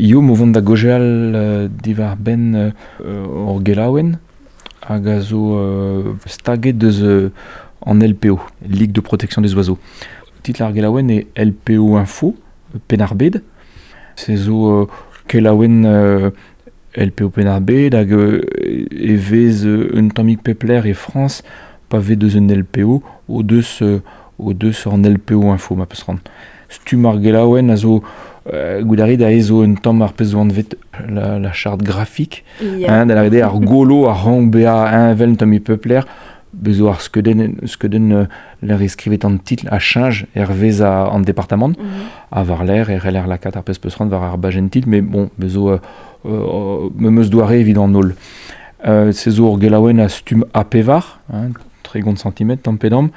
Hiziv o vont da gaozeal diwar-benn hor gelaouenn hag a zo staget deus an LPO, Ligue de protection des oiseaux. Titl ar gelaouenn eo LPO Info, Penn-ar-Bed. Se zo kelaouenn LPO Penn-ar-Bed hag e vez un tammig pep lec'h e Frañs pa vez deus un LPO o deus o deus an LPO Info ma peus c'hoant. Stumm ar gelaouenn a zo goût a rit aze zo un tamm ar pezh zo anvet la, la charte graphique. Ya. Hein, da lâret eo ar golo a rank bezañ heñvel un tammig pep lec'h. Bez zo ar skeudenn, skeudenn lec'h e skrivet an titl a cheñch hervez an departamant. Ha war-lerc'h e c'heller lakaat ar pezh peus c'hoant war ar bajenn titl, mais bon, bez zo memes doare evit an holl. Se zo ur gelaouenn a stumm A pevar, hein, 30 centimetr tamm pe damm.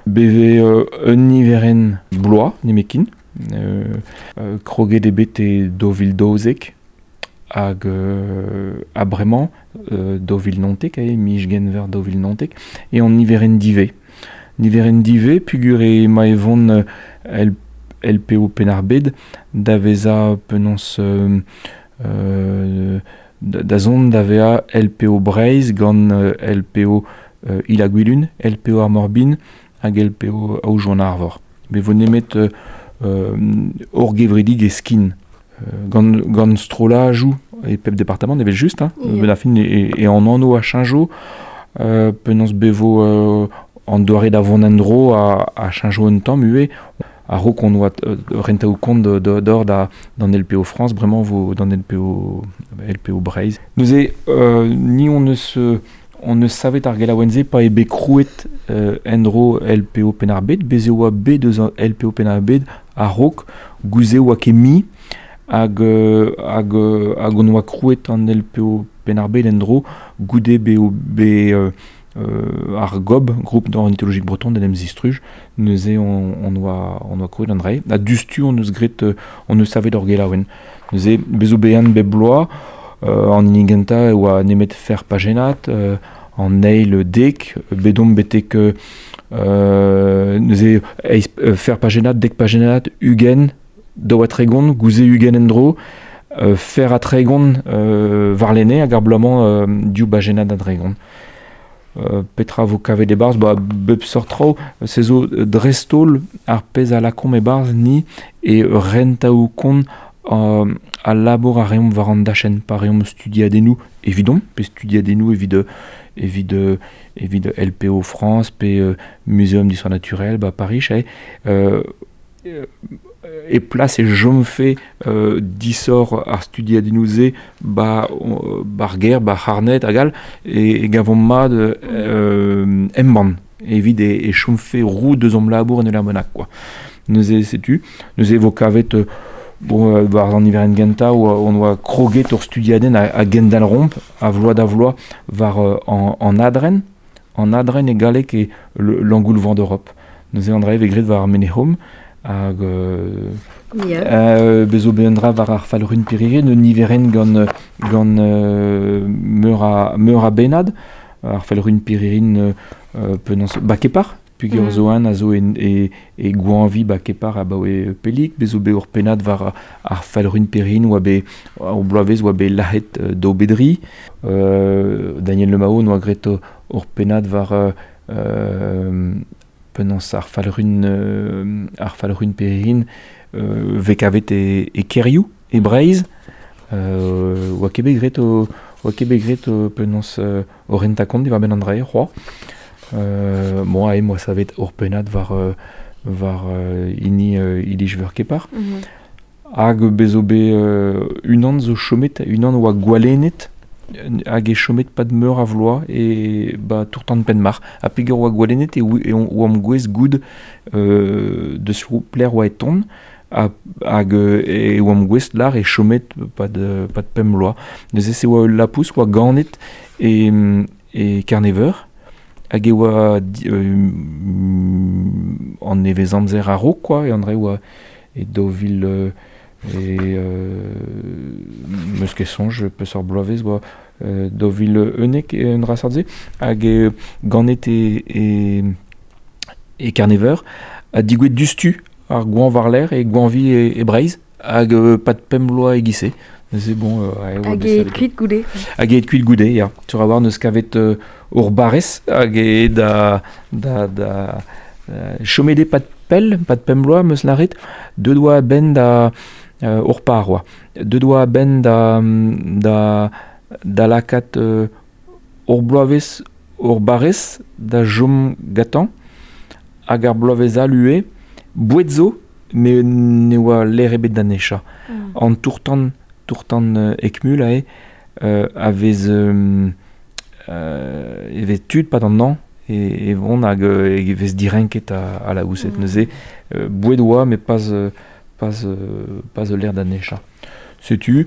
Beve un niverenn bloaz nemetken. Kroget eo bet e 2012 hag ha bremañ 2019 eo, miz Genver 2019, eo an niverenn divez. Niverenn divez peogwir emañ e vont LPO Penn-ar-Bed da vezañ penaos da zont da vezañ LPO Breizh gant LPO Il-ha-Gwilun, LPO ar Mor-Bihan hag LPO Aodoù-an-Arvor. Ne vo nemet hor gevredigezh kin gant, gant strollajoù e pep departamant evel-just. Hein. Ya. A fin e, e an anv a cheñcho, penaos bevo an doare da vont en-dro a, a cheñcho un tamm ivez. A-raok on oa rentaoù kont d'or da d'an LPO France, bremañ vo d'an LPO, LPO Breizh. Neuze, ni on eus savet ar gelaouenn-se pa eo bet krouet en-dro LPO Penn-ar-Bed. Bez' e oa bet eus an LPO Penn-ar-Bed a-raok, gouze oa ket mui, hag, hag, hag on oa krouet an LPO Penn-ar-Bed en-dro goude beo bet ar GOB, Groupe ornithologique breton, d'en em zistruj. Neuze on, on oa, on oa krouet an dra. Ha diouzhtu on eus graet, on eus savet ur gelaouenn. Neuze, bez zo bezañ bep bloaz, an hini gentañ e oa nemet fer pajennad, an eil dek, bet omp betek neuze eizh fer pajennad, dek pajennad, 20, 32, gouze 20 en-dro, fer ha 30 warlene hag ar bloaz-mañ div bajennad ha 30. Petra vo kavet e-barzh? Ba, bep seurt traoù. Se zo dreist-holl ar pezh a lakaomp e-barzh ni e rentaoù-kont al labour a reomp war an dachenn pa reomp studiadennoù evidomp pe studiadennoù evit evit evit LPO France pe Muséum d'histoire naturelle ba Pariz eh, e plas e chomfe disoc'h ar studiadennoù-se ba ba'r gêr, ba'r c'harned hag all, e, e gavomp mat embann evit e, e chomfe roud eus hom labour en ul lec'h bennak quoi. Neuze setu, neuze e vo kavet bon, war an niverenn gentañ on oa kroget ur studiadenn a, a gendalc'homp a vloaz da vloaz war an, an adren. An adren e galleg eo l'engoulevent d'Europe. Neuze an dra e vez graet war ar Menez-Hom hag Ya. Bez zo bet un dra war ar falc'hun Pirire, un niverenn gant, gant meur a, meur a bennad. Ar falc'hun Piririn penaos Bakepar, peogwir zo un a zo en, e, e goañvi Bakepar abaoe pellik. Bez zo bet ur pennad war ar falc'hun Piririn oa bet ur bloavezh oa bet lazhet daou bedri. Daniel Le Mao noa graet ur pennad war penaos ar falc'hun ar falc'hun Piririn vez kavet e, e kêrioù e Breizh. Oa ket bet graet o oa ket bet graet penaos o rentañ kont diwar-benn an dra-se c'hoazh. Bon, aze 'moa savet ur pennad war war hini Iliz-Veur Kepar. Hag bez zo bet unan zo chomet, unan oa gwalennet hag e chomet pad meur a vloaz e ba Tour-Tan Penmarc'h. Ha peogwir oa gwalennet e oamp gouest goût deus pelec'h oa e tont ha, hag e oamp gouest lar e chomet pad, pad pemp bloaz. Neuze se oa ul lapous oa ganet e, e Kerneveur hag e oa an nevezamzer a-raok quoi, e an dra oa e 2000 e meus ket soñj peseurt bloavezh oa 2011 un dra seurt-se hag ganet e, e, e Kerneveur ha digouezhet diouzhtu ar goañv war-lerc'h e goañvi e, e Breizh. Hag pad pemp bloaz e-giz-se. Neuze bon, Hag e kuit goude. Hag e kuit goude, ya. Sur a-walc'h neus kavet ur barrez hag e da da da chomet eo pad pell, pad pemp bloaz 'm eus lâret, deuet oa a-benn da ur par oa. Deuet oa a-benn da da da lakaat ur bloavezh ur barrez da chom gantañ hag ar bloavezh all ivez, boued zo met ne oa lec'h ebet da nechañ. An tour-tan, tour-tan Eckmühl aze a vez e vez tud 'pad an hañv e vont hag e vez direnket al laboused. Neuze boued oa met pas pas pas ul lec'h da nechañ. Setu.